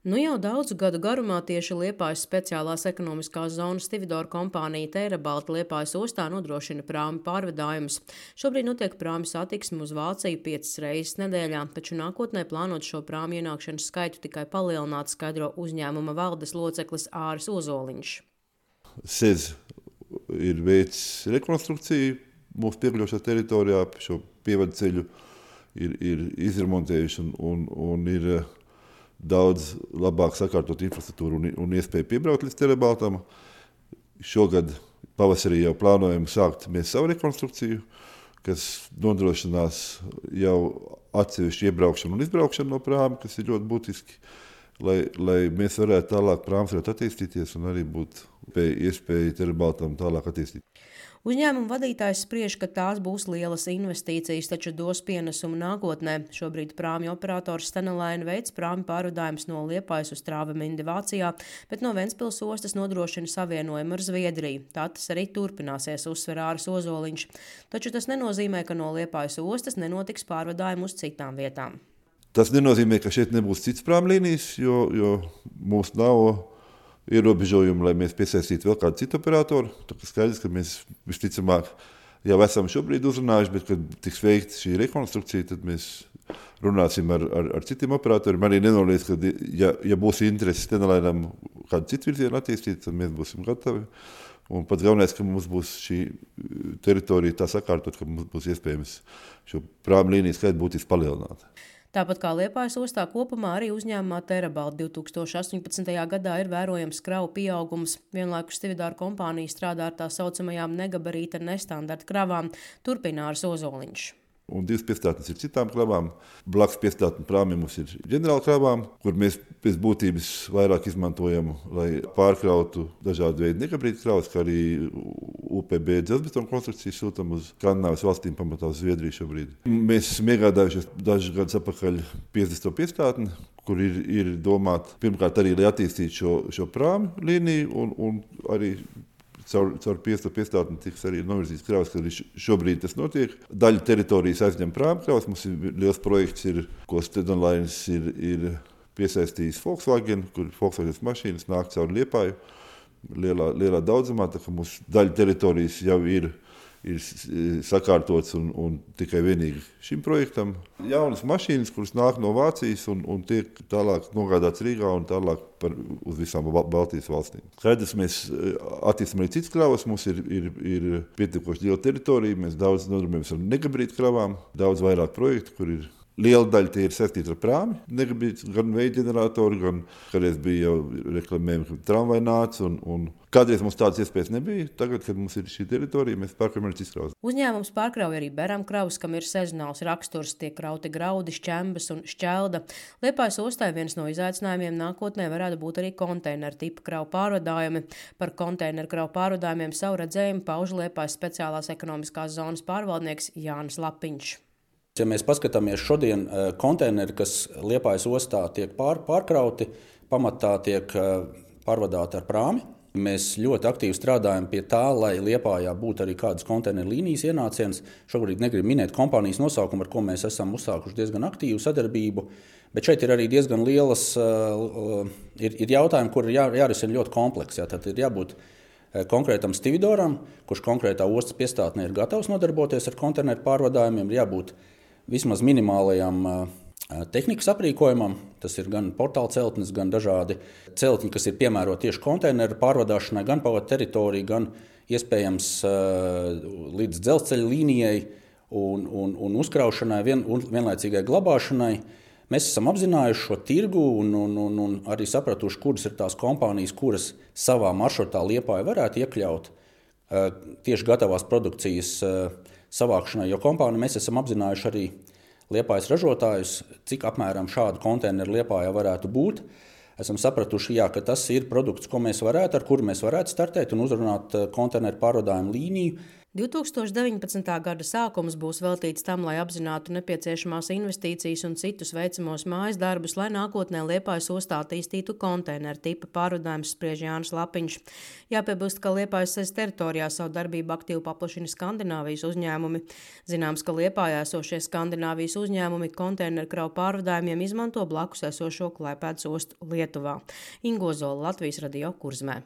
Nu jau daudzu gadu garumā tieši Liepājas speciālās ekonomiskās zonas Stividor kompānija Terabalta Liepājas ostā nodrošina prāmi pārvadājumus. Šobrīd notiek prāmi satiksme uz Vāciju 5 reizes nedēļā, taču nākotnē plānot šo prāmi ienākšanas skaitu tikai palielināt, skaidro uzņēmuma valdes loceklis Āris Ozoliņš. SEZ ir veicis rekonstrukciju mūsu piekļuvušā teritorijā, šo pievadu ceļu ir izremontējuši un ir daudz labāk sakārtot infrastruktūru un iespēju piebraukt līdz Terabaltam. Šogad pavasarī jau plānojam sākt mēs savu rekonstrukciju, kas nodrošinās jau atsevišķu iebraukšanu un izbraukšanu no prāma, kas ir ļoti būtiski, lai mēs varētu tālāk prāms varētu attīstīties un arī būtu iespēja Terabaltam tālāk attīstīt. Uzņēmuma vadītājs spriež, ka tās būs lielas investīcijas, taču dos pienesumu nākotnē. Šobrīd prāmju operators Stenelaine veic prāmju pārvadājumus no Liepājas uz Travemindi Vācijā, bet no Ventspils ostas nodrošina savienojumu ar Zviedriju. Tā tas arī turpināsies, uzsver Āris Ozoliņš. Taču tas nenozīmē, ka no Liepājas ostas nenotiks pārvadājumi uz citām vietām. Tas nenozīmē, ka šeit nebūs cits prāmlīnijas, jo mums nav ierobežojumi, lai mēs piesaistītu vēl kādu citu operatoru. Tā kā skaidrs, ka mēs visticamāk jau esam šobrīd uzrunājuši, bet kad tiks veikta šī rekonstrukcija, tad mēs runāsim ar citiem operatoriem. Arī nenoliedz, ka ja būs interesi Stenelainam kādu citu virzienu attīstīt, tad mēs būsim gatavi. Un pats galvenais, ka mums būs šī teritorija tā sakārtot, ka mums būs iespējams šo prāmu līniju skaitu būtiski palielināt. Tāpat kā Liepājas ostā kopumā arī uzņēmumā Terabalta 2018. gadā ir vērojams kravu pieaugums. Vienlaikus Stividor kompānija strādā ar tā saucamajām negabarīta nestandarta kravām, turpina Āris Ozoliņš. Un 2 piestātnes ir citām kravām. Blakus piestātņu prāmiem mums ir ģenerāla kravām, kur mēs pēc būtības vairāk izmantojam, lai pārkrautu dažādu veidu negabarīta kravas, kā arī UPB dzelzbetonu konstrukcijas sūtam uz Skandināvijas valstīm, pamatā uz Zviedriju šobrīd. Mēs esam iegādājušies dažus gadus atpakaļ 50. piestātni, kur ir domāta pirmkārt arī, lai attīstītu šo prāmu līniju un arī caur 5. piestātni tiks arī novirzīts kravas, kad šobrīd tas notiek. Daļa teritorijas aizņem prāmu kravas. Mums ir liels projekts, ko Stenelaine ir piesaistījis Volkswagen, kur Volkswagen mašīnas nāk caur Liepāju lielā daudzumā. Tā kā mums daļa teritorijas jau ir sakārtots un tikai vienīgi šim projektam. Jaunas mašīnas, kuras nāk no Vācijas un tiek tālāk nogādāts Rīgā un tālāk uz visām Baltijas valstīm. Skaidrs, mēs attīstam arī citas kravas, mums ir pietiekoši liela teritorija, mēs daudz nodarbojamies ar negabarītu kravām, daudz vairāk projektu, kur ir liela daļa tie ir saistīti ar prāmi, negabarītu, gan veidu ģeneratori, gan kādreiz bija jau reklamējumi, ka tramvai nāca un kādreiz mums tādas iespējas nebija. Tagad, kad mums ir šī teritorija, mēs pārkraujam arī citas kravas. Uzņēmums pārkrauj arī beram kravas, kam ir sezonāls raksturs, tiek krauti graudi, šķembas un šķelda. Liepājas ostai viens no izaicinājumiem nākotnē varētu būt arī konteineru tipa kravu pārvadājumi. Par konteineru kravu pārvadājumiem savu redzējumu pauž Liepājas speciālās ekonomiskās zonas pārvaldnieks Jānis Lapiņš. Ja mēs paskatāmies šodien, konteineri, kas Liepājas ostā tiek pārkrauti, pamatā tiek pārvadāti ar prāmi. Mēs ļoti aktīvi strādājam pie tā, lai Liepājā būtu arī kādas konteineru līnijas ienāciens. Šobrīd negribu minēt kompānijas nosaukumu, ar ko mēs esam uzsākuši diezgan aktīvu sadarbību, bet šeit ir arī diezgan lielas ir jautājumi, kur ir jārisina ļoti kompleksi. Tad ir jābūt konkrētam Stividoram, kurš konkrētā ostas piestātnē ir gatavs nodarboties ar konteineru pārvadājumiem, ir jābūt vismaz minimālajam tehnikas aprīkojumam. Tas ir gan portāla celtnes, gan dažādi celtņi, kas ir piemēroti tieši konteineru pārvadāšanai, gan pa teritoriju, gan iespējams līdz dzelzceļa līnijai un uzkraušanai, vienlaicīgai glabāšanai. Mēs esam apzinājuši šo tirgu un arī sapratuši, kuras ir tās kompānijas, kuras savā maršrutā Liepāju varētu iekļaut tieši gatavās produkcijas savākšanai, jo kompānija mēs esam apzinājuši arī Liepājas ražotājus, cik apmēram šādu konteineru Liepājā varētu būt. Esam sapratuši, ka tas ir produkts, ar kuru mēs varētu startēt un uzrunāt konteineru pārvadājumu līniju. 2019. gada sākums būs veltīts tam, lai apzinātu nepieciešamās investīcijas un citus veicamos mājas darbus, lai nākotnē Liepājas ostā attīstītu konteineru tipa pārvadājumus, spriež Jānis Lapiņš. Jāpiebilst, ka Liepājas teritorijā savu darbību aktīvi paplašina Skandināvijas uzņēmumi. Zināms, ka Liepājā esošie Skandināvijas uzņēmumi konteineru kravu pārvadājumiem izmanto blakus esošo Klaipēdas ostu Lietuvā. Ingo Zola, Latvijas radio Kurzmē.